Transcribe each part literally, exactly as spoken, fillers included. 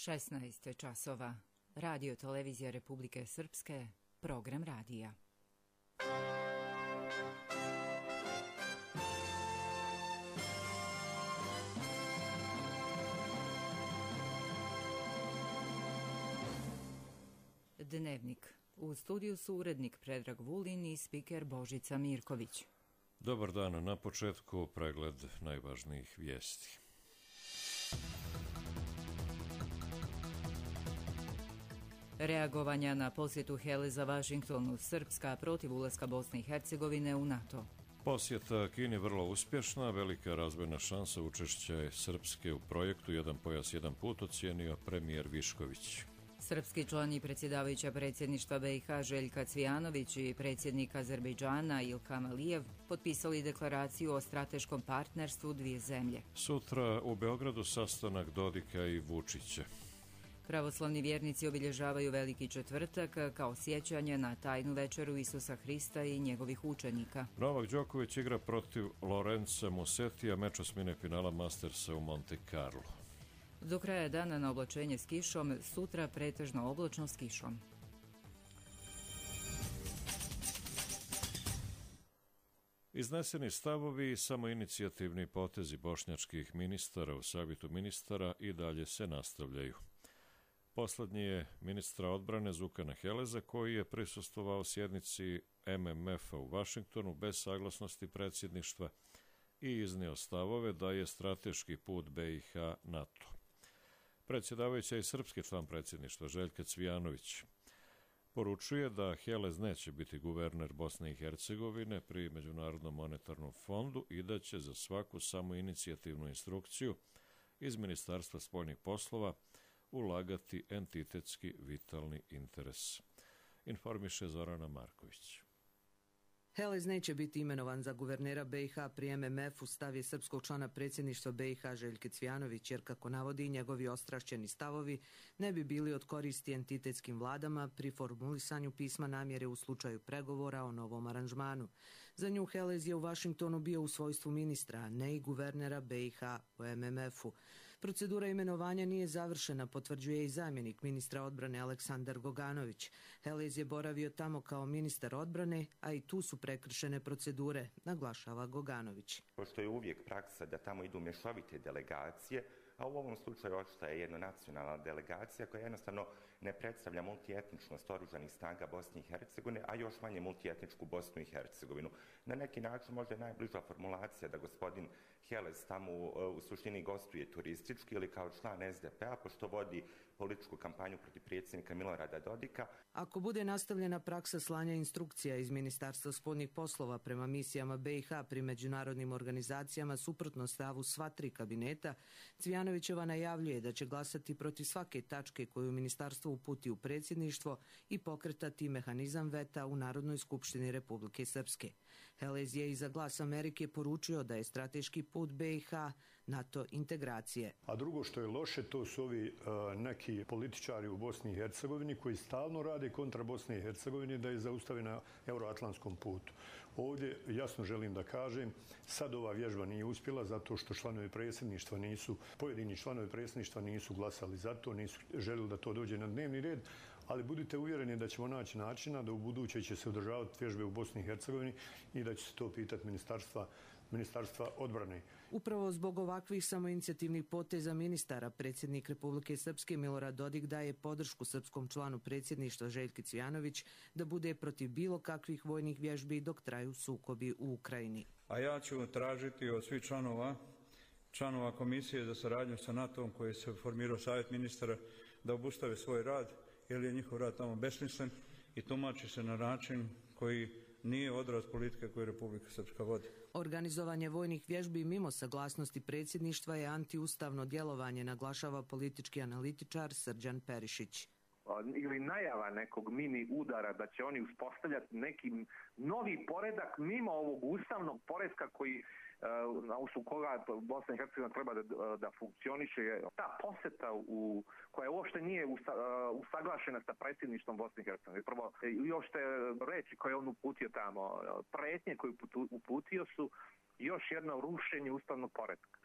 šesnaest časova. Radio Televizija Republike Srpske, program radija. Dnevnik. U studiju su urednik Predrag Vulin i spiker Božica Mirković. Dobar dan, na početku pregled najvažnijih vijesti. Reagovanja na posjetu Heleza Vašingtonu, Srpska protiv ulaska Bosne i Hercegovine u NATO. Posjeta Kini vrlo uspješna, velika razvojna šansa učešća Srpske u projektu Jedan pojas, jedan put, ocijenio premijer Višković. Srpski član i predsjedavajuća predsjedništva B i H Željka Cvijanović i predsjednik Azerbejdžana Ilham Alijev potpisali deklaraciju o strateškom partnerstvu dvije zemlje. Sutra u Beogradu sastanak Dodika i Vučića. Pravoslavni vjernici obilježavaju Veliki četvrtak kao sjećanje na tajnu večeru Isusa Hrista i njegovih učenika. Novak Đoković igra protiv Lorenza Musetija, meč osmine finala Mastersa u Monte Carlo. Do kraja dana na oblačenje s kišom, sutra pretežno oblačno s kišom. Izneseni stavovi i samoinicijativni potezi bošnjačkih ministara u savjetu ministara i dalje se nastavljaju. Poslednji je ministra odbrane Zukana Heleza, koji je prisustvovao sjednici M M F-a u Vašingtonu bez saglasnosti predsjedništva i iznio stavove da je strateški put B i H NATO. Predsjedavajuća i srpski član predsjedništva Željka Cvijanović poručuje da Helez neće biti guverner Bosne i Hercegovine pri Međunarodnom monetarnom fondu i da će za svaku samoinicijativnu instrukciju iz Ministarstva spoljnih poslova ulagati entitetski vitalni interes. Informiše Zorana Marković. Helez neće biti imenovan za guvernera B i H pri M M F-u, stav je srpskog člana predsjedništva B i H Željke Cvijanović, jer kako navodi njegovi ostrašćeni stavovi ne bi bili od koristi entitetskim vladama pri formulisanju pisma namjere u slučaju pregovora o novom aranžmanu. Za nju Helez je u Vašingtonu bio u svojstvu ministra, a ne i guvernera B i H u M M F-u. Procedura imenovanja nije završena, potvrđuje i zamjenik ministra odbrane Aleksandar Goganović. Helez je boravio tamo kao ministar odbrane, a i tu su prekršene procedure, naglašava Goganović. Pošto je uvijek praksa da tamo idu mješovite delegacije, a u ovom slučaju očito je jedna nacionalna delegacija koja jednostavno ne predstavlja multietničnost oružanih snaga Bosne i Hercegovine, a još manje multietničku Bosnu i Hercegovinu. Na neki način možda je najbliža formulacija da gospodin Helez tamo u, u suštini gostuje turistički ili kao član S D P-a, pošto vodi političku kampanju protiv predsjednika Milorada Dodika. Ako bude nastavljena praksa slanja instrukcija iz Ministarstva spoljnih poslova prema misijama B i H pri međunarodnim organizacijama suprotno stavu sva tri kabineta, Cvijanovićeva najavljuje da će glasati protiv svake tačke koju ministarstvo uputi u predsjedništvo i pokretati mehanizam veta u Narodnoj skupštini Republike Srpske. Helez je i za Glas Amerike poručio da je strateški put B i H NATO integracije. A drugo što je loše, to su ovi uh, neki političari u Bosni i Hercegovini koji stalno rade kontra Bosne i Hercegovine da je zaustave na euroatlantskom putu. Ovdje jasno želim da kažem, sad ova vježba nije uspjela zato što članovi predsjedništva nisu, pojedini članovi predsjedništva nisu glasali za to, nisu željeli da to dođe na dnevni red, ali budite uvjereni da ćemo naći načina da u buduće će se održavati vježbe u Bosni i Hercegovini i da će se to pitati ministarstva Ministarstva odbrane. Upravo zbog ovakvih samoinicijativnih poteza ministara, predsjednik Republike Srpske Milorad Dodik daje podršku srpskom članu predsjedništva Željki Cvijanović da bude protiv bilo kakvih vojnih vježbi dok traju sukobi u Ukrajini. A ja ću tražiti od svih članova članova Komisije za saradnju sa NATO-om koji se formirao savjet ministara da obustave svoj rad, jer je njihov rad tamo besmislen i tumači se na način koji nije odraz politike koju Republika Srpska vodi. Organizovanje vojnih vježbi mimo saglasnosti predsjedništva je antiustavno djelovanje, naglašava politički analitičar Srđan Perišić. Ili najava nekog mini udara da će oni uspostavljati neki novi poredak mimo ovog ustavnog poretka koji na osnovu koga Bosna i Hercegovina treba da, da funkcioniše. Ta poseta u, koja uopšte nije usta, usaglašena sa predsjedništvom Bosne i Hercegovine. Prvo, još te reči koje on uputio tamo, pretnje koje uputio su još jedno rušenje ustavnog poretka.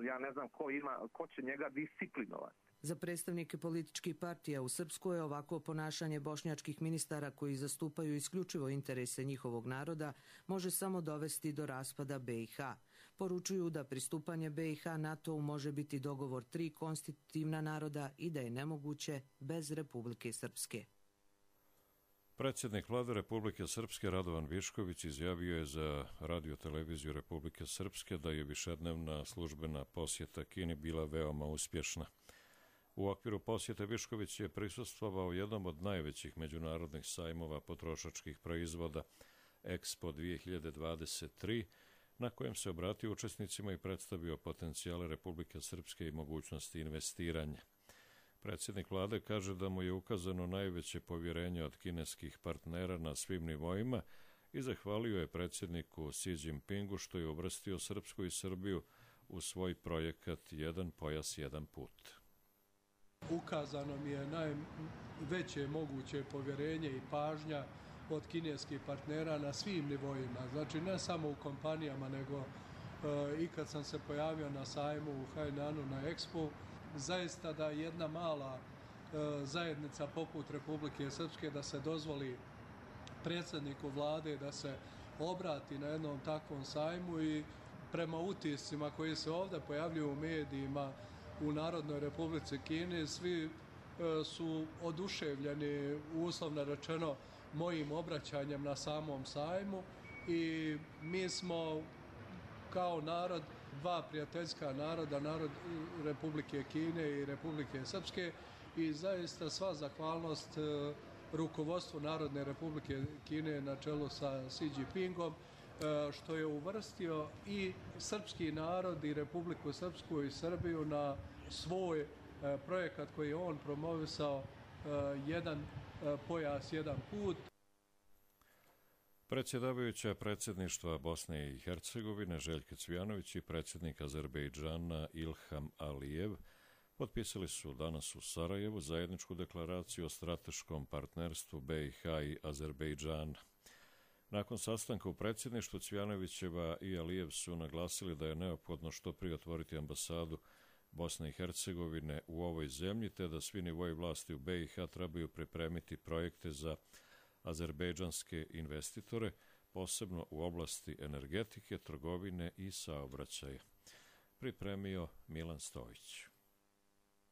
Ja ne znam ko ima, ko će njega disciplinovati. Za predstavnike političkih partija u Srpskoj ovako ponašanje bošnjačkih ministara koji zastupaju isključivo interese njihovog naroda može samo dovesti do raspada be i ha. Poručuju da pristupanje be i ha NATO-u može biti dogovor tri konstitutivna naroda i da je nemoguće bez Republike Srpske. Predsjednik vlade Republike Srpske Radovan Višković izjavio je za radio-televiziju Republike Srpske da je višednevna službena posjeta Kini bila veoma uspješna. U okviru posjete Višković je prisustvovao jednom od najvećih međunarodnih sajmova potrošačkih proizvoda Expo dvije hiljade dvadeset tri, na kojem se obratio učesnicima i predstavio potencijale Republike Srpske i mogućnosti investiranja. Predsjednik vlade kaže da mu je ukazano najveće povjerenje od kineskih partnera na svim nivoima i zahvalio je predsjedniku Xi Jinpingu što je uvrstio Srpsku i Srbiju u svoj projekat Jedan pojas, jedan put. Ukazano mi je najveće moguće povjerenje i pažnja od kineskih partnera na svim nivoima. Znači ne samo u kompanijama, nego e, i kad sam se pojavio na sajmu u Hainanu na Expo, zaista da jedna mala e, zajednica poput Republike Srpske da se dozvoli predsjedniku vlade da se obrati na jednom takvom sajmu i prema utiscima koji se ovdje pojavljuju u medijima u Narodnoj Republici Kini, svi e, su oduševljeni, uslovno rečeno, mojim obraćanjem na samom sajmu i mi smo kao narod, dva prijateljska naroda, narod Republike Kine i Republike Srpske i zaista sva zahvalnost e, rukovodstvu Narodne Republike Kine na čelu sa Xi Jinpingom e, što je uvrstio i srpski narod i Republiku Srpsku i Srbiju na svoj e, projekat koji je on promovisao e, jedan e, pojas, jedan put. Predsjedavajuća predsjedništva Bosne i Hercegovine Željka Cvijanović i predsjednik Azerbejdžana Ilham Alijev potpisali su danas u Sarajevu zajedničku deklaraciju o strateškom partnerstvu be i ha i Azerbejdžana. Nakon sastanka u predsjedništvu Cvijanovićeva i Alijev su naglasili da je neophodno što prije otvoriti ambasadu Bosne i Hercegovine u ovoj zemlji, te da svi nivoji vlasti u be i ha trebaju pripremiti projekte za azerbejdžanske investitore, posebno u oblasti energetike, trgovine i saobraćaja. Pripremio Milan Stojić.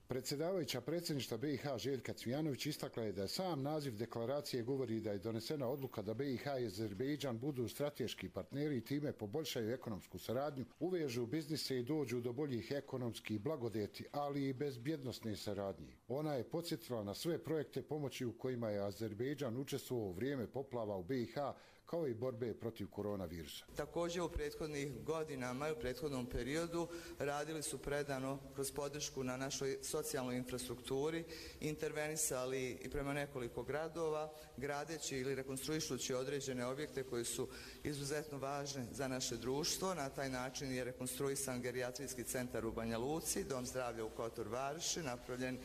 Predsjedavajuća predsjedništva be i ha Željka Cvijanović istakla je da sam naziv deklaracije govori da je donesena odluka da be i ha i Azerbejdžan budu strateški partneri i time poboljšaju ekonomsku saradnju, uvežu biznise i dođu do boljih ekonomskih blagodeti, ali i bezbjednosne saradnje. Ona je podsjetila na sve projekte pomoći u kojima je Azerbejdžan učestvovao u vrijeme poplava u be i ha, kao i borbe protiv koronavirusa. Također u prethodnih godinama i u prethodnom periodu radili su predano kroz podršku na našoj socijalnoj infrastrukturi, intervenisali i prema nekoliko gradova, gradeći ili rekonstruišući određene objekte koji su izuzetno važni za naše društvo. Na taj način je rekonstruisan gerijatrijski centar u Banja Luci, dom zdravlja u Kotor Varoši, napravljen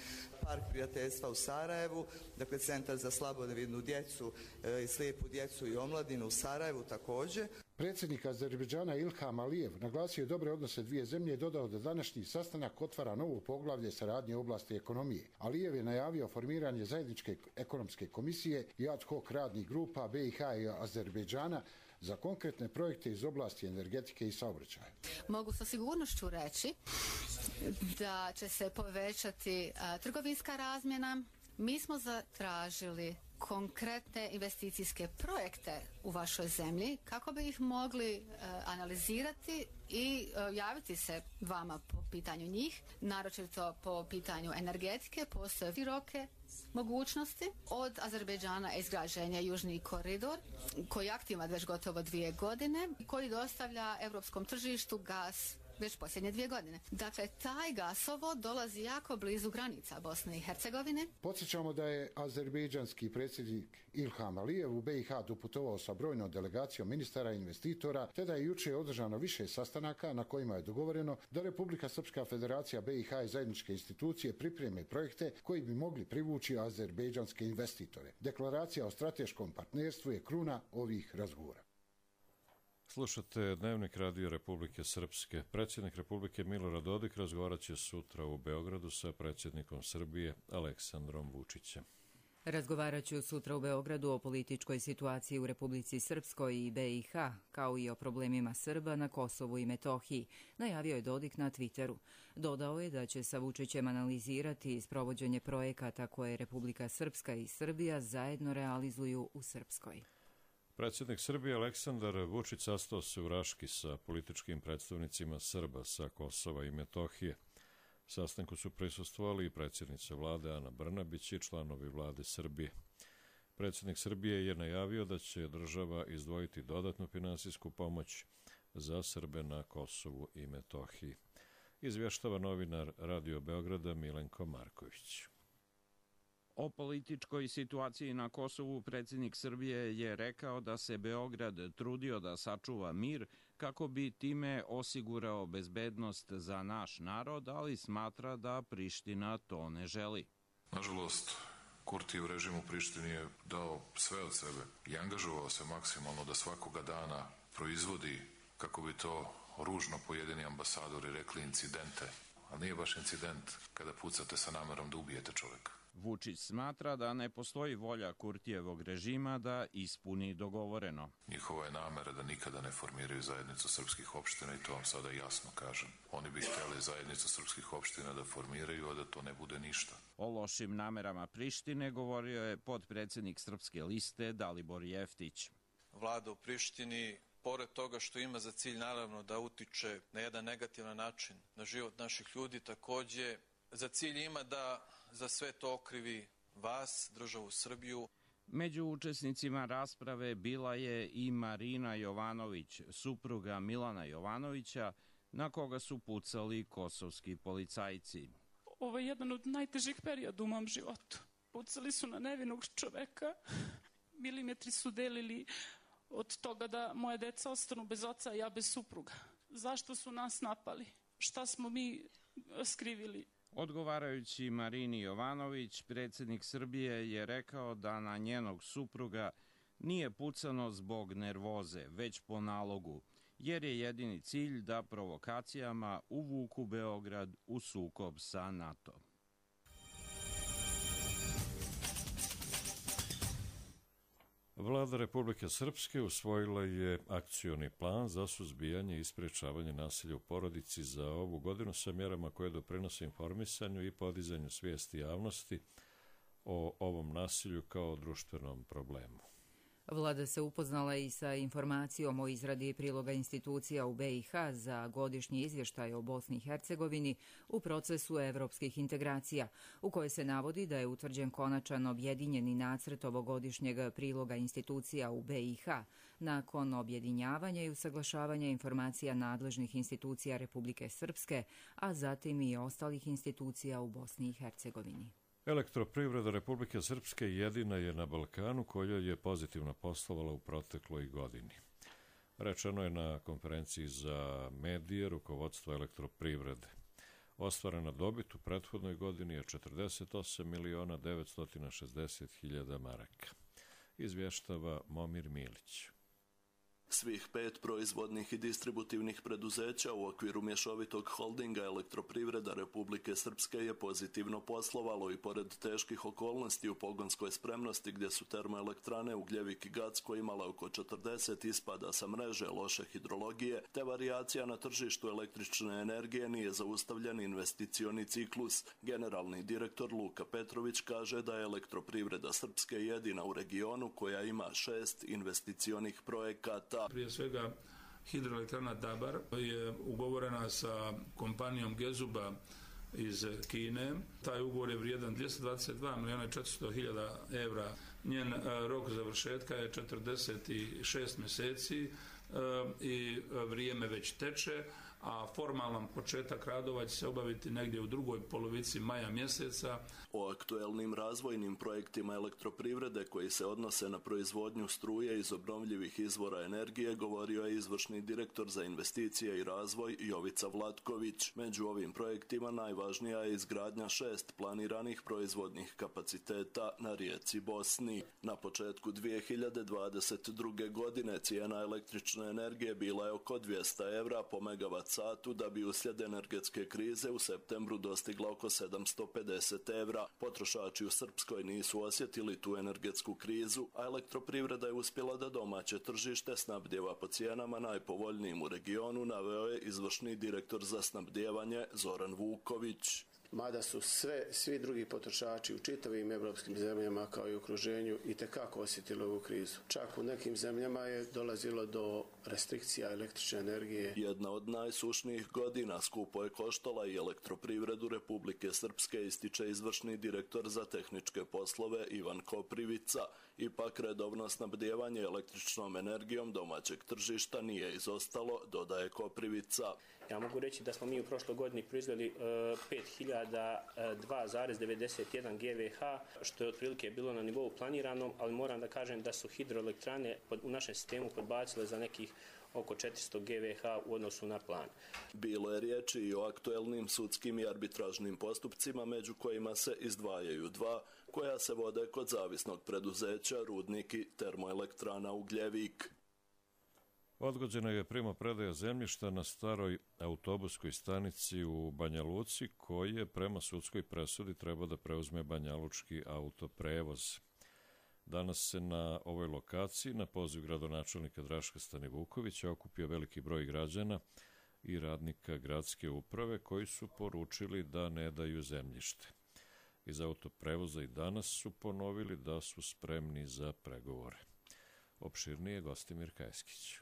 park prijateljstva u Sarajevu, dakle centar za slabovidnu djecu e, i slijepu djecu i omladinu u Sarajevu također. Predsjednik Azerbejdžana Ilham Alijev naglasio je dobre odnose dvije zemlje i dodao da današnji sastanak otvara novo poglavlje saradnje u oblasti ekonomije. Alijev je najavio formiranje zajedničke ekonomske komisije i ad hoc radnih grupa be i ha i Azerbejdžana za konkretne projekte iz oblasti energetike i saobraćaja. Mogu sa sigurnošću reći da će se povećati a, trgovinska razmjena. Mi smo zatražili konkretne investicijske projekte u vašoj zemlji kako bi ih mogli uh, analizirati i uh, javiti se vama po pitanju njih, naročito po pitanju energetike. Postoje široke mogućnosti od Azerbejdžana izgrađenja Južni koridor koji je aktivan već gotovo dvije godine, koji dostavlja europskom tržištu gas već posljednje dvije godine. Dakle, taj gasovod dolazi jako blizu granica Bosne i Hercegovine. Podsjećamo da je azerbejdžanski predsjednik Ilham Alijev u be i ha doputovao sa brojnom delegacijom ministara i investitora, te da je jučer održano više sastanaka na kojima je dogovoreno da Republika Srpska Federacija, be i ha i zajedničke institucije pripreme projekte koji bi mogli privući azerbejdžanske investitore. Deklaracija o strateškom partnerstvu je kruna ovih razgovora. Slušate Dnevnik Radio Republike Srpske. Predsjednik Republike Milorad Dodik razgovarat će sutra u Beogradu sa predsjednikom Srbije Aleksandrom Vučićem. Razgovarat ću sutra u Beogradu o političkoj situaciji u Republici Srpskoj i B i H, kao i o problemima Srba na Kosovu i Metohiji, najavio je Dodik na Twitteru. Dodao je da će sa Vučićem analizirati sprovođenje projekata koje Republika Srpska i Srbija zajedno realizuju u Srpskoj. Predsjednik Srbije Aleksandar Vučić sastao se u Raški sa političkim predstavnicima Srba sa Kosova i Metohije. Sastanku su prisustvovali i predsjednica vlade Ana Brnabić i članovi vlade Srbije. Predsjednik Srbije je najavio da će država izdvojiti dodatnu finansijsku pomoć za Srbe na Kosovu i Metohiji. Izvještava novinar Radio Beograda Milenko Marković. O političkoj situaciji na Kosovu predsjednik Srbije je rekao da se Beograd trudio da sačuva mir kako bi time osigurao bezbednost za naš narod, ali smatra da Priština to ne želi. Nažalost, Kurtijev režim u Prištini je dao sve od sebe i angažovao se maksimalno da svakoga dana proizvodi, kako bi to ružno pojedini ambasadori rekli, incidente. Ali nije baš incident kada pucate sa namerom da ubijete čovjeka. Vučić smatra da ne postoji volja Kurtijevog režima da ispuni dogovoreno. Njihova je namera da nikada ne formiraju zajednicu srpskih opština i to vam sada jasno kažem. Oni bi htjeli zajednicu srpskih opština da formiraju, a da to ne bude ništa. O lošim namerama Prištine govorio je potpredsjednik Srpske liste Dalibor Jeftić. Vlada u Prištini, pored toga što ima za cilj naravno da utiče na jedan negativan način na život naših ljudi, takođe za cilj ima da za sve to okrivi vas, državu Srbiju. Među učesnicima rasprave bila je i Marina Jovanović, supruga Milana Jovanovića, na koga su pucali kosovski policajci. Ovo je jedan od najtežih perioda u mom životu. Pucali su na nevinog čoveka, milimetri su delili od toga da moje deca ostanu bez oca, a ja bez supruga. Zašto su nas napali? Šta smo mi skrivili? Odgovarajući Marini Jovanović, predsjednik Srbije je rekao da na njenog supruga nije pucano zbog nervoze, već po nalogu, jer je jedini cilj da provokacijama uvuku Beograd u sukob sa NATO. Vlada Republike Srpske usvojila je akcioni plan za suzbijanje i sprječavanje nasilja u porodici za ovu godinu sa mjerama koje doprinose informisanju i podizanju svijesti javnosti o ovom nasilju kao društvenom problemu. Vlada se upoznala i sa informacijom o izradi priloga institucija u B i H za godišnji izvještaj o Bosni i Hercegovini u procesu evropskih integracija, u kojoj se navodi da je utvrđen konačan objedinjeni nacrt ovogodišnjeg priloga institucija u B i H nakon objedinjavanja i usaglašavanja informacija nadležnih institucija Republike Srpske, a zatim i ostalih institucija u Bosni i Hercegovini. Elektroprivreda Republike Srpske jedina je na Balkanu koja je pozitivno poslovala u protekloj godini. Rečeno je na konferenciji za medije rukovodstva elektroprivrede. Ostvarena dobit u prethodnoj godini je četrdeset osam miliona devetsto šezdeset hiljada maraka. Izvještava Momir Milić. Svih pet proizvodnih i distributivnih preduzeća u okviru mješovitog holdinga Elektroprivreda Republike Srpske je pozitivno poslovalo i pored teških okolnosti u pogonskoj spremnosti gdje su termoelektrane Ugljevik i Gacko imale oko četrdeset ispada sa mreže, loše hidrologije, te varijacija na tržištu električne energije nije zaustavljen investicioni ciklus. Generalni direktor Luka Petrović kaže da je Elektroprivreda Srpske jedina u regionu koja ima šest investicionih projekata. Prije svega hidroelektrana Dabar je ugovorena sa kompanijom Gezuba iz Kine. Taj ugovor je vrijedan dvjesto dvadeset dva miliona četiristo hiljada evra. Njen rok završetka je četrdeset šest mjeseci i vrijeme već teče, a formalan početak radova će se obaviti negdje u drugoj polovici maja mjeseca. O aktuelnim razvojnim projektima elektroprivrede koji se odnose na proizvodnju struje iz obnovljivih izvora energije govorio je izvršni direktor za investicije i razvoj Jovica Vlatković. Među ovim projektima najvažnija je izgradnja šest planiranih proizvodnih kapaciteta na rijeci Bosni. Na početku dvije hiljade dvadeset druge. godine cijena električne energije bila je oko dvjesto evra po megavat satu, da bi uslijed energetske krize u septembru dostigla oko sedamsto pedeset evra. Potrošači u Srpskoj nisu osjetili tu energetsku krizu, a elektroprivreda je uspjela da domaće tržište snabdijeva po cijenama najpovoljnijim u regionu, naveo je izvršni direktor za snabdijevanje Zoran Vuković. Mada su sve, svi drugi potrošači u čitavim evropskim zemljama kao i u okruženju itekako osjetili ovu krizu. Čak u nekim zemljama je dolazilo do restrikcija električne energije. Jedna od najsušnijih godina skupo je koštala i elektroprivredu Republike Srpske, ističe izvršni direktor za tehničke poslove Ivan Koprivica. Ipak redovno snabdijevanje električnom energijom domaćeg tržišta nije izostalo, dodaje Koprivica. Ja mogu reći da smo mi u prošloj godini proizveli uh, pet hiljada dva zarez devedeset jedan gigavat, što je otprilike bilo na nivou planiranom, ali moram da kažem da su hidroelektrane pod, u našem sistemu podbacile za nekih oko četiristo gigavat u odnosu na plan. Bilo je riječi i o aktuelnim sudskim i arbitražnim postupcima, među kojima se izdvajaju dva, koja se vode kod zavisnog preduzeća Rudnik i termoelektrana Ugljevik. Odgođena je primopredaja zemljišta na staroj autobuskoj stanici u Banja Luci, koje prema sudskoj presudi treba da preuzme banjalučki autoprevoz. Danas se na ovoj lokaciji, na poziv gradonačelnika Draška Stanivukovića, okupio veliki broj građana i radnika gradske uprave koji su poručili da ne daju zemljište. Iz autoprevoza i danas su ponovili da su spremni za pregovore. Opširnije Gostimir Kajskić.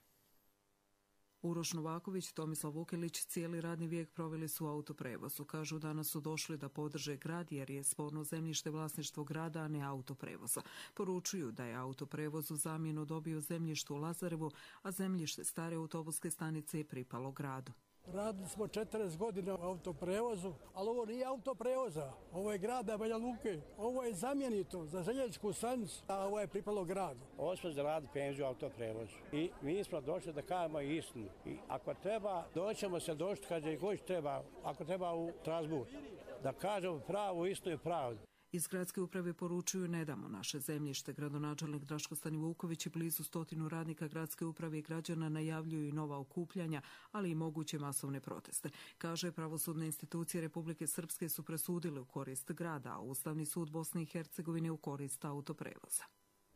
Uroš Novaković, Tomislav Vukelić cijeli radni vijek proveli su u autoprevozu. Kažu danas su došli da podrže grad jer je sporno zemljište vlasništvo grada, a ne autoprevoza. Poručuju da je autoprevoz u zamjenu dobio zemljište u Lazarevu, a zemljište stare autobuske stanice je pripalo gradu. Radili smo četrdeset godina u autoprevozu, ali ovo nije autoprevoza, ovo je grada Banja Luke, ovo je zamjenito za željezničku stanicu, a ovo je pripalo gradu. Ovo smo zaradili penziju u autoprevozu i mi smo došli da kažemo istinu. I ako treba, doćemo se doći kad je god treba, ako treba u Strasbourg, da kažemo pravu istinu i pravdu. Iz gradske uprave poručuju ne damo naše zemljište. Gradonačelnik Draško Stanivuković i blizu stotinu radnika gradske uprave i građana najavljuju i nova okupljanja, ali i moguće masovne proteste. Kaže, pravosudne institucije Republike Srpske su presudile u korist grada, a Ustavni sud Bosne i Hercegovine u korist autoprevoza.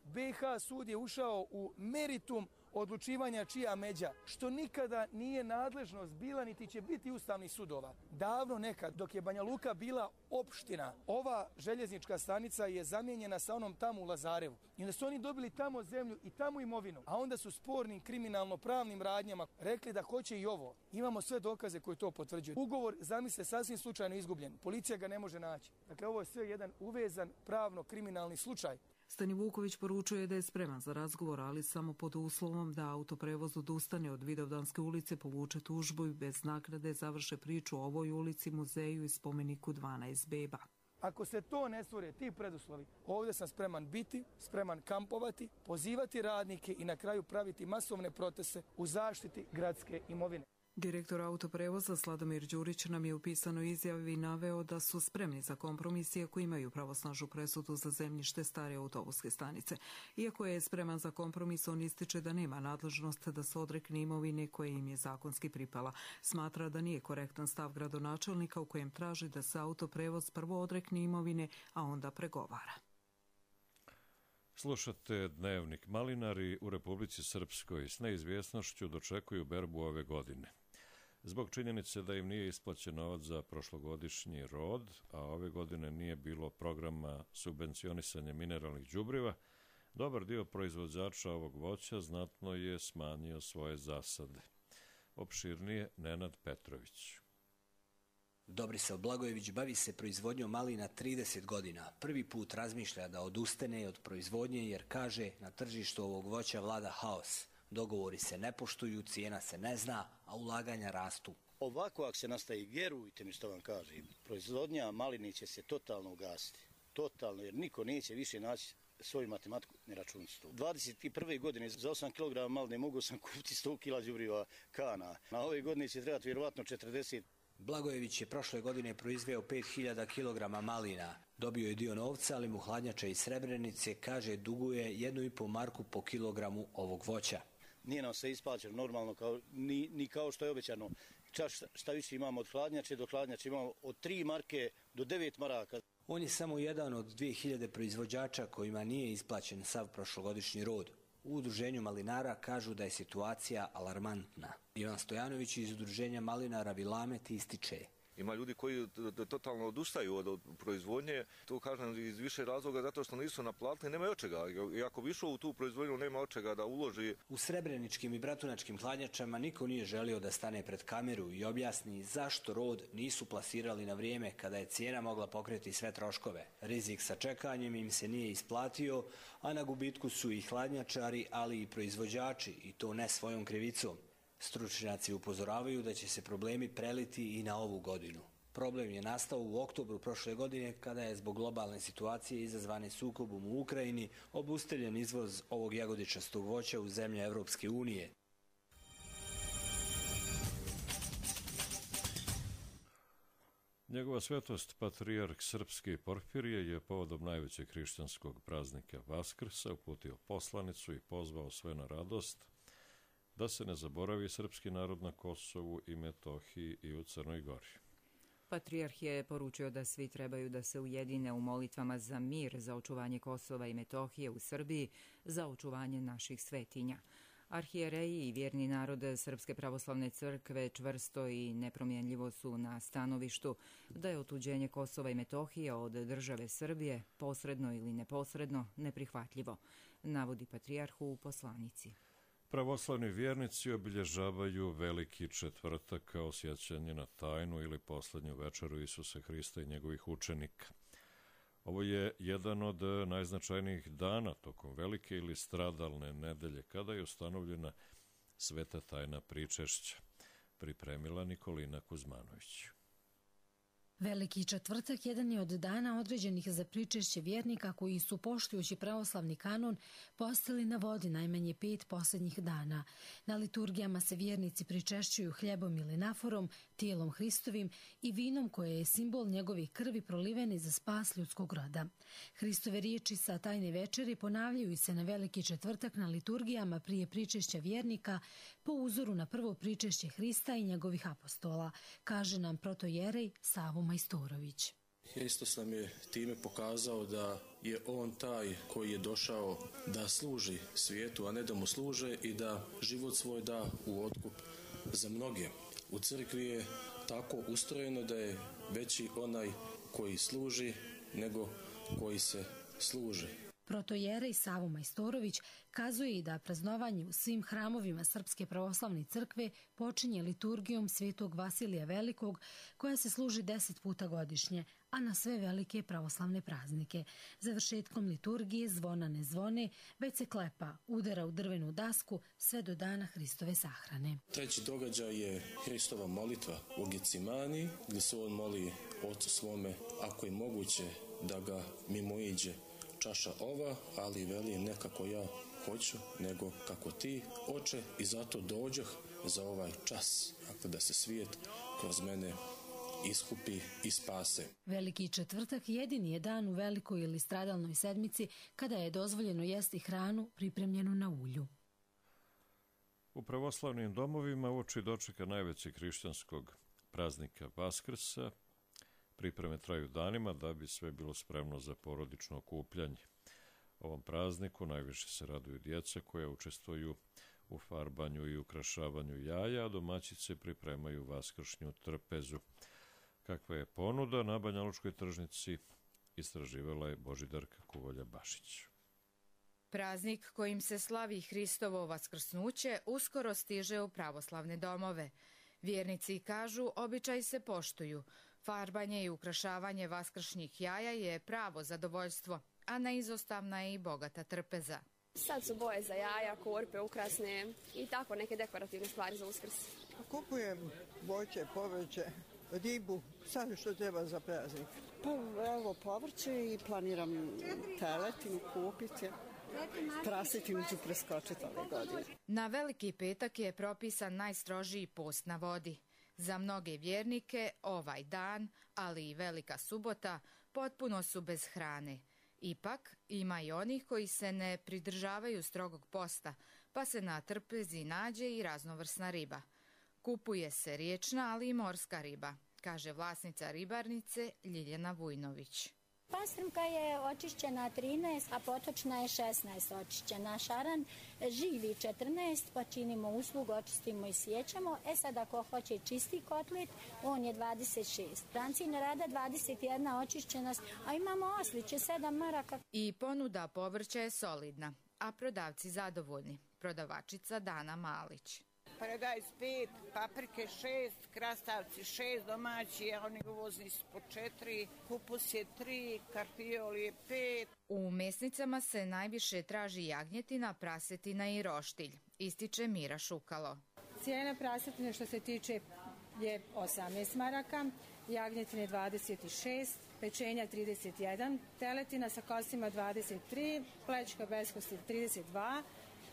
B i H sud je ušao u meritum odlučivanja čija međa, što nikada nije nadležnost bila niti će biti ustavnih sudova. Davno nekad, dok je Banja Luka bila opština, ova željeznička stanica je zamijenjena sa onom tamo u Lazarevu. I onda su oni dobili tamo zemlju i tamo imovinu, a onda su spornim kriminalno-pravnim radnjama rekli da hoće i ovo. Imamo sve dokaze koji to potvrđuju. Ugovor, zamisle, sasvim slučajno izgubljen. Policija ga ne može naći. Dakle, ovo je sve jedan uvezan pravno-kriminalni slučaj. Stanivuković poručuje da je spreman za razgovor, ali samo pod uslovom da autoprevoz odustane od Vidovdanske ulice, povuče tužbu i bez naknade završe priču o ovoj ulici, muzeju i spomeniku dvanaest beba. Ako se to ne stvore, ti preduslovi, ovdje sam spreman biti, spreman kampovati, pozivati radnike i na kraju praviti masovne proteste u zaštiti gradske imovine. Direktor autoprevoza Sladomir Đurić nam je u pisanoj izjavi naveo da su spremni za kompromis iako imaju pravosnažnu presudu za zemljište stare autobuske stanice. Iako je spreman za kompromis, on ističe da nema nadležnost da se odrekne imovine koje im je zakonski pripala. Smatra da nije korektan stav gradonačelnika u kojem traži da se autoprevoz prvo odrekne imovine, a onda pregovara. Slušate Dnevnik. Malinari u Republici Srpskoj s neizvjesnošću dočekuju berbu ove godine. Zbog činjenice da im nije isplaćen novac za prošlogodišnji rod, a ove godine nije bilo programa subvencionisanja mineralnih đubriva, dobar dio proizvođača ovog voća znatno je smanjio svoje zasade. Opširnije Nenad Petrović. Dobrisav Blagojević bavi se proizvodnjom malina trideset godina. Prvi put razmišlja da odustane od proizvodnje jer kaže na tržištu ovog voća vlada haos. Dogovori se ne poštuju, cijena se ne zna, a ulaganja rastu. Ovako ako se nastavi, vjerujte mi što vam kažem, proizvodnja malini će se totalno ugasiti. Totalno, jer niko neće više naći svoju matematiku ni računicu. dvadeset prve godine za osam kilograma maline mogu sam kupiti sto kila đubriva kana. Na ove godine će trebati vjerovatno četrdeset. Blagojević je prošle godine proizveo pet hiljada kilograma malina. Dobio je dio novca, ali mu hladnjača iz Srebrenice, kaže, duguje jednu i pol marku po kilogramu ovog voća. Nije nam se isplaćeno normalno, kao, ni, ni kao što je obećano. Čak šta više imamo od hladnjače do hladnjače, imamo od tri marke do devet maraka. On je samo jedan od dvije hiljade proizvođača kojima nije isplaćen sav prošlogodišnji rod. U udruženju malinara kažu da je situacija alarmantna. Ivan Stojanović iz udruženja malinara Vilamet ističe. Ima ljudi koji totalno odustaju od proizvodnje, to kažem iz više razloga zato što nisu naplatili, nema od čega. I ako bi išao u tu proizvodnju, nema od čega da uloži. U srebreničkim i bratunačkim hladnjačama niko nije želio da stane pred kameru i objasni zašto rod nisu plasirali na vrijeme kada je cijena mogla pokriti sve troškove. Rizik sa čekanjem im se nije isplatio, a na gubitku su i hladnjačari, ali i proizvođači, i to ne svojom krivicom. Stručnjaci upozoravaju da će se problemi preliti i na ovu godinu. Problem je nastao u oktobru prošle godine kada je zbog globalne situacije izazvane sukobom u Ukrajini obustavljen izvoz ovog jagodičastog voća u zemlje Evropske unije. Njegova svetost, patrijarh srpski Porfirije, je povodom najvećeg hrišćanskog praznika Vaskrsa uputio poslanicu i pozvao sve na radost, da se ne zaboravi srpski narod na Kosovu i Metohiji i u Crnoj Gori. Patrijarh je poručio da svi trebaju da se ujedine u molitvama za mir, za očuvanje Kosova i Metohije u Srbiji, za očuvanje naših svetinja. Arhijereji i vjerni narod Srpske pravoslavne crkve čvrsto i nepromjenljivo su na stanovištu da je otuđenje Kosova i Metohije od države Srbije, posredno ili neposredno, neprihvatljivo, navodi patrijarh u poslanici. Pravoslavni vjernici obilježavaju Veliki četvrtak kao sjećanje na tajnu ili posljednju večeru Isusa Hrista i njegovih učenika. Ovo je jedan od najznačajnijih dana tokom velike ili stradalne nedelje, kada je ustanovljena sveta tajna pričešća, pripremila Nikolina Kuzmanović. Veliki četvrtak jedan je od dana određenih za pričešće vjernika koji su, poštujući pravoslavni kanon, postili na vodi najmanje pet posljednjih dana. Na liturgijama se vjernici pričešćuju hljebom ili naforom, tijelom Hristovim i vinom koje je simbol njegove krvi prolivene za spas ljudskog roda. Hristove riječi sa tajne večeri ponavljaju se na Veliki četvrtak na liturgijama prije pričešća vjernika po uzoru na prvo pričešće Hrista i njegovih apostola, kaže nam protojerej Savo Majstorović. Hristos nam je time pokazao da je on taj koji je došao da služi svijetu, a ne da mu služe, i da život svoj da u otkup za mnoge. U crkvi je tako ustrojeno da je veći onaj koji služi nego koji se služi. Protojerej Savo Majstorović kazuje i da praznovanje u svim hramovima Srpske pravoslavne crkve počinje liturgijom Svetog Vasilija Velikog, koja se služi deset puta godišnje, a na sve velike pravoslavne praznike. Završetkom liturgije zvona ne zvone, već se klepa, udara u drvenu dasku sve do dana Hristove sahrane. Treći događaj je Hristova molitva u Gecimani, gdje se on moli Ocu svome, ako je moguće da ga mimoiđe čaša ova, ali veli ne kako ja hoću, nego kako ti, Oče, i zato dođoh za ovaj čas, dakle da se svijet kroz mene iskupi i spase. Veliki četvrtak jedini je dan u velikoj ili stradalnoj sedmici kada je dozvoljeno jesti hranu pripremljenu na ulju. U pravoslavnim domovima uoči dočeka najvećeg hrišćanskog praznika Vaskrsa pripreme traju danima da bi sve bilo spremno za porodično okupljanje. Ovom prazniku najviše se raduju djeca koja učestvuju u farbanju i ukrašavanju jaja, a domaćice pripremaju vaskršnju trpezu. Kakva je ponuda na Banjalučkoj tržnici, istraživala je Božidarka Kuvolja-Bašić. Praznik kojim se slavi Hristovo vaskrsnuće uskoro stiže u pravoslavne domove. Vjernici kažu, običaj se poštuju. Farbanje i ukrašavanje vaskršnjih jaja je pravo zadovoljstvo, a neizostavna je i bogata trpeza. Sad su boje za jaja, korpe, ukrasne i tako neke dekorativne stvari za Uskrs. Kupujem voće, povrće, ribu, sad što treba za praznik. Pa evo povrće i planiram teletinu kupiti. Prasetinu ću preskočiti ove godine. Na Veliki petak je propisan najstrožiji post na vodi. Za mnoge vjernike ovaj dan, ali i Velika subota, potpuno su bez hrane. Ipak, ima i onih koji se ne pridržavaju strogog posta, pa se na trpezi nađe i raznovrsna riba. Kupuje se riječna, ali i morska riba, kaže vlasnica ribarnice Ljiljana Vujnović. Pastrumka je očišćena trinaest, a potočna je šesnaest očišćena. Šaran živi četrnaest, pa činimo uslugu, očistimo i sjećamo. E sad ako hoće čisti kotlet, on je dvadeset šest. Brancina rada dvadeset jedna očišćena, a imamo osliće sedam maraka. I ponuda povrća je solidna, a prodavci zadovoljni. Prodavačica Dana Malić. Paradajz pet, paprike šest, krastavci šest domaći, a oni uvozni su po četiri, kupus je tri, karfiol je pet. U mesnicama se najviše traži jagnjetina, prasetina i roštilj, ističe Mira Šukalo. Cijena prasetine što se tiče je osamnaest maraka, jagnjetine dvadeset šest, pečenja trideset jedan, teletina sa kostima dvadeset tri, plećka bez kosti trideset dva,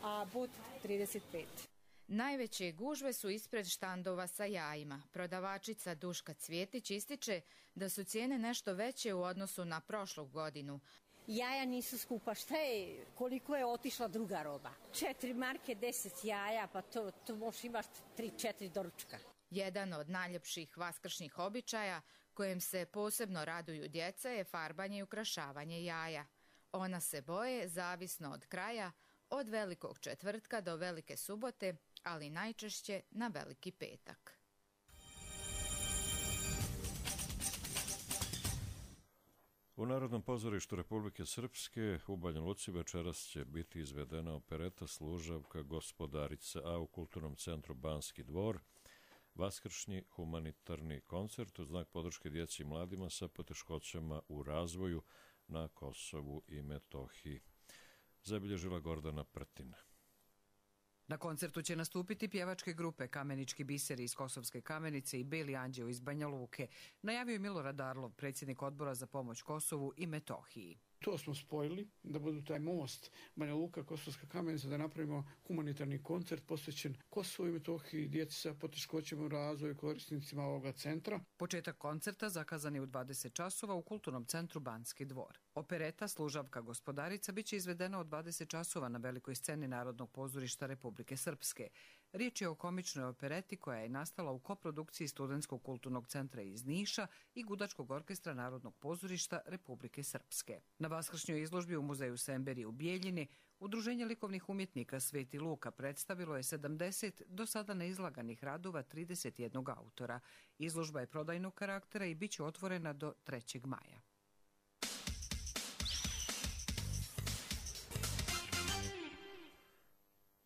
a but trideset pet. Najveće gužve su ispred štandova sa jajima. Prodavačica Duška Cvjetić ističe da su cijene nešto veće u odnosu na prošlu godinu. Jaja nisu skupa. Šta je, koliko je otišla druga roba? Četiri marke, deset jaja, pa to, to možeš imati tri, četiri doručka. Jedan od najljepših vaskršnjih običaja kojem se posebno raduju djeca je farbanje i ukrašavanje jaja. Ona se boje zavisno od kraja, od Velikog četvrtka do Velike subote, ali najčešće na Veliki petak. U Narodnom pozorištu Republike Srpske u Banja Luci večeras će biti izvedena opereta Služavka gospodarice, a u Kulturnom centru Banski dvor vaskršnji humanitarni koncert u znak podrške djeci i mladima sa poteškoćama u razvoju na Kosovu i Metohiji. Zabilježila Gordana Prtina. Na koncertu će nastupiti pjevačke grupe Kamenički biseri iz Kosovske Kamenice i Beli anđeo iz Banja Luke, najavio je Milorad Arlov, predsjednik odbora za pomoć Kosovu i Metohiji. To smo spojili, da budu taj most Banja Luka, Kosovska Kamenica, da napravimo humanitarni koncert posvećen Kosovu i Metohiji, djeci sa poteškoćama u razvoju, korisnicima ovoga centra. Početak koncerta zakazan je u dvadeset časova u Kulturnom centru Banski dvor. Opereta Služavka gospodarica biće izvedena od dvadeset časova na velikoj sceni Narodnog pozorišta Republike Srpske. Riječ je o komičnoj opereti koja je nastala u koprodukciji Studentskog kulturnog centra iz Niša i Gudačkog orkestra Narodnog pozorišta Republike Srpske. Na vaskršnjoj izložbi u muzeju Semberi u Bijeljini Udruženje likovnih umjetnika Sveti Luka predstavilo je sedamdeset do sada neizlaganih radova trideset jednog autora. Izložba je prodajnog karaktera i bit će otvorena do trećeg maja.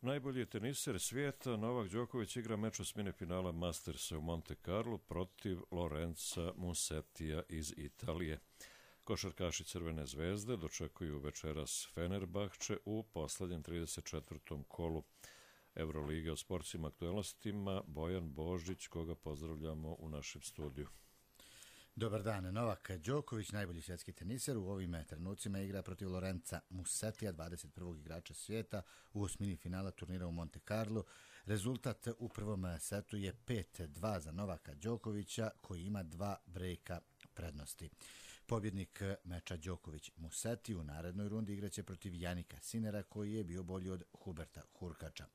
Najbolji teniser svijeta Novak Đoković igra meč osmine finala Mastersa u Monte Carlo protiv Lorenza Musettija iz Italije. Košarkaši Crvene zvezde dočekuju večeras Fenerbahče u poslednjem trideset četvrtom kolu Evrolige. O sportskim aktualnostima Bojan Božić, koga pozdravljamo u našem studiju. Dobar dan. Novak Đoković, najbolji svjetski teniser, u ovim trenucima igra protiv Lorenza Musettija, dvadeset prvog igrača svijeta, u osmini finala turnira u Monte Carlo. Rezultat u prvom setu je pet dva za Novaka Đokovića, koji ima dva brejka prednosti. Pobjednik meča Đoković-Musetti u narednoj rundi igraće protiv Janika Sinera, koji je bio bolji od Huberta Hurkača.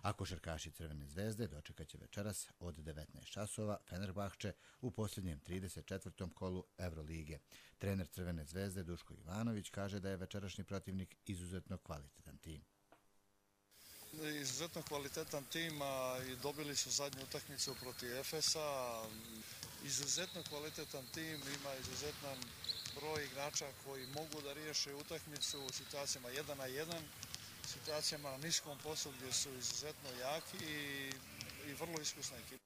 A košarkaši Crvene zvezde dočekat će večeras od devetnaest časova Fenerbahče u posljednjem trideset četvrtom kolu Evrolige. Trener Crvene zvezde Duško Ivanović kaže da je večerašnji protivnik izuzetno kvalitetan tim. Izuzetno kvalitetan tim i dobili su zadnju utakmicu protiv Efesa. Izuzetno kvalitetan tim, ima izuzetan broj igrača koji mogu da riješe utakmicu u situacijama jedan na jedan, situacijama na niskom poslu gdje su izuzetno jaki i, i vrlo iskusna ekipa.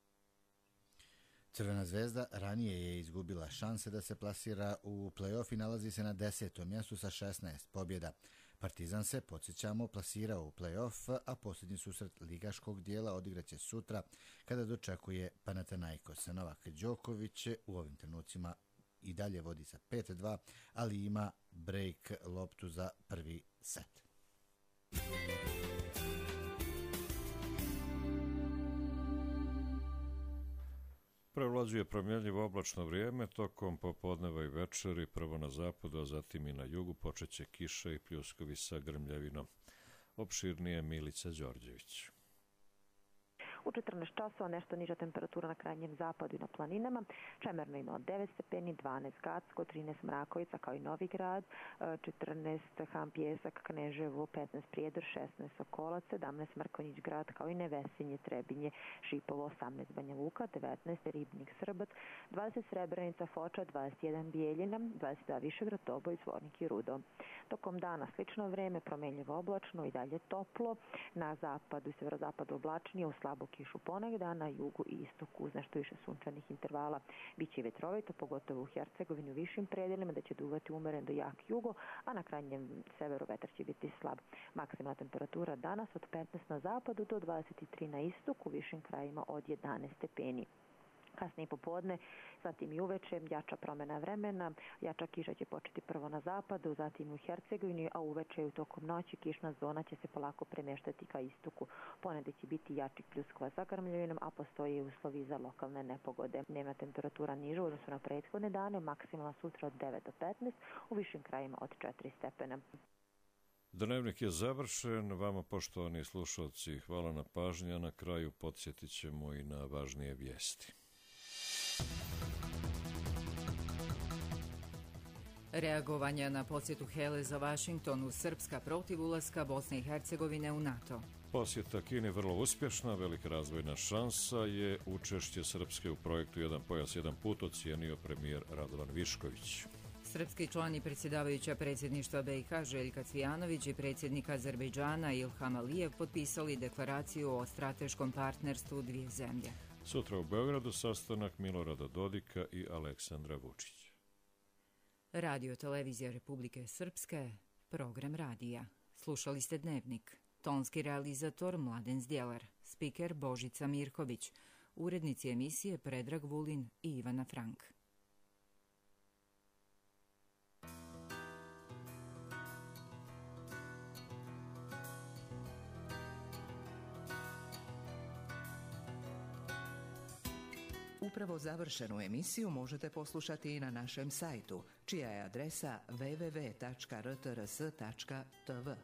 Crvena zvezda ranije je izgubila šanse da se plasira u play-off i nalazi se na desetom mjestu sa šesnaest pobjeda. Partizan se, podsjećamo, plasirao u play-off, a posljednji susret ligaškog dijela odigraće sutra kada dočekuje Panathinaikos. Novak Đoković u ovim trenucima i dalje vodi sa pet dva, ali ima break loptu za prvi set. Prevlađuje promjenljivo oblačno vrijeme, tokom popodneva i večeri, prvo na zapadu, a zatim i na jugu, počeće kiša i pljuskovi sa grmljavinom. Opširnije Milica Đorđević. U četrnaest časova nešto niža temperatura na krajnjem zapadu i na planinama. Čemerno ima od devet stepeni, dvanaest Gacko, trinaest Mrakovica kao i Novi Grad, četrnaest Ham Pjesak, Kneževo, petnaest Prijedor, šesnaest Sokolac, sedamnaest Mrkonjić Grad kao i Nevesinje, Trebinje, Šipovo, osamnaest Banja Luka, devetnaest Ribnik, Srbac, dvadeset Srebrenica, Foča, dvadeset jedan Bijeljina, dvadeset dva Višegrad, Doboj, Zvornik i Rudo. Tokom dana slično vreme, promjenljivo oblačno i dalje toplo. Na zapadu i severozapadu oblačnije, u slabu kišu ponegda, na jugu i istoku uz nešto više sunčanih intervala. Biće vetrovito, pogotovo u Hercegovini u višim predelima, da će duvati umeren do jak jugo, a na krajnjem severu vetar će biti slab. Maksimalna temperatura danas od petnaest na zapadu do dvadeset tri na istoku, u višim krajima od jedanaest stepeni. Kasnije popodne, zatim i uveče, jača promjena vremena, jača kiša će početi prvo na zapadu, zatim u Hercegovini, a uveče i u tokom noći kišna zona će se polako premještati ka istoku. Ponedje će biti jačih pljuskova sa grmljavinom, a postoje uslovi za lokalne nepogode. Dnevna temperatura niža u odnosu na prethodne dane, maksimalna sutra od devet do petnaest, u višim krajima od četiri stepena. Dnevnik je završen. Vama, poštovani slušalci, hvala na pažnji, a na kraju podsjetit ćemo i na važnije vijesti. Reagovanja na posjetu Hele za Vašingtonu, Srpska protiv ulaska Bosne i Hercegovine u NATO. Posjeta Kini vrlo uspješna, velika razvojna šansa je učešće Srpske u projektu Jedan pojas, jedan put, ocijenio premijer Radovan Višković. Srpski član i predsjedavajuća predsjedništva B i H Željka Cvijanović i predsjednik Azerbejdžana Ilham Alijev potpisali deklaraciju o strateškom partnerstvu dvije zemlje. Sutra u Beogradu sastanak Milorada Dodika i Aleksandra Vučića. Radio Televizija Republike Srpske, program radija. Slušali ste Dnevnik. Tonski realizator Mladen Zdjelar, spiker Božica Mirković, urednici emisije Predrag Vulin i Ivana Frank. Upravo završenu emisiju možete poslušati i na našem sajtu, čija je adresa w w w tačka r t r s tačka t v.